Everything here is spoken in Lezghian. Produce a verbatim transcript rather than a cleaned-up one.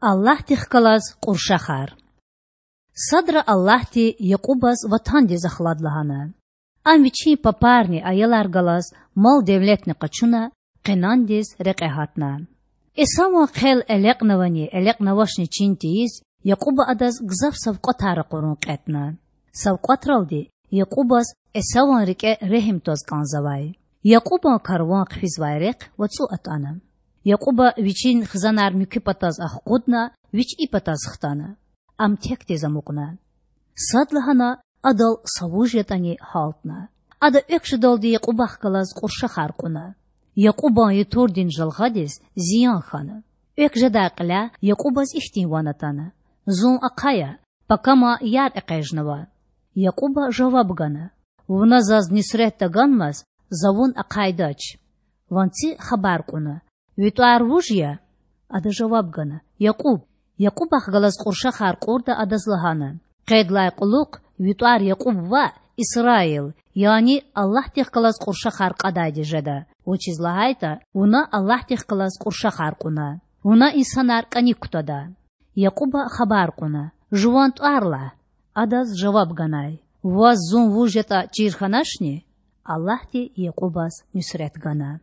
Аллагьдихъ галаз Кьуршахар. Садра Аллагьди Якьубаз ватандиз ахлад лагьана. Ам вичин папарни аялар галаз мал-девлетни къачуна, Къенандиз рекье гьатна. Эсаван хъел элекьнавани элекьнавачни чин тийиз, Якьуба адаз гзаф савкьватар ракъурун кьетІна. Савкьватралди Якьубаз Эсаван рикІе регьим тваз кІанзавай. Якьубан карван хъфизвай рехъ вацІу атІана. Якьуба вичин хизанар муькуь патаз ахкъудна, вич и патаз хтана. Ам текдиз амукьна. Садлагьана адал са вуж ятІани гьалтна. Ада экв жедалди Якьубахъ галаз кьуршахар кьуна. Якьубан ютурдин жалгъадиз зиян хьана. Экв жедай кьиляй Якьубаз ихьтин ван атана: Зун ахъая, пакама яр экъечІнава. Якьуба жаваб гана: Вуна заз нуьсрет таганмаз, за вун ахъайдач. Ванци хабар кьуна: Ви тІвар вуж я? Ада жаваб гана: Якьуб. Якьубахъ галаз кьуршахар кьурда адаз лагьана: Къедлай кьулухъ ви тІвар Якьуб ваъ, Исраил, яни Аллагьдихъ галаз кьуршахар кьадайди жеда, вучиз лагьайтІа вуна Аллагьдихъ галаз кьуршахар кьуна. Вуна инсанар кІаник кутада. Якьуба хабар кьуна: Жуван тІвар лагь. Адаз жаваб ганай: Ваз зун вуж ятІа чир хьаначни? Аллагьди Якьубаз нуьсрет гана.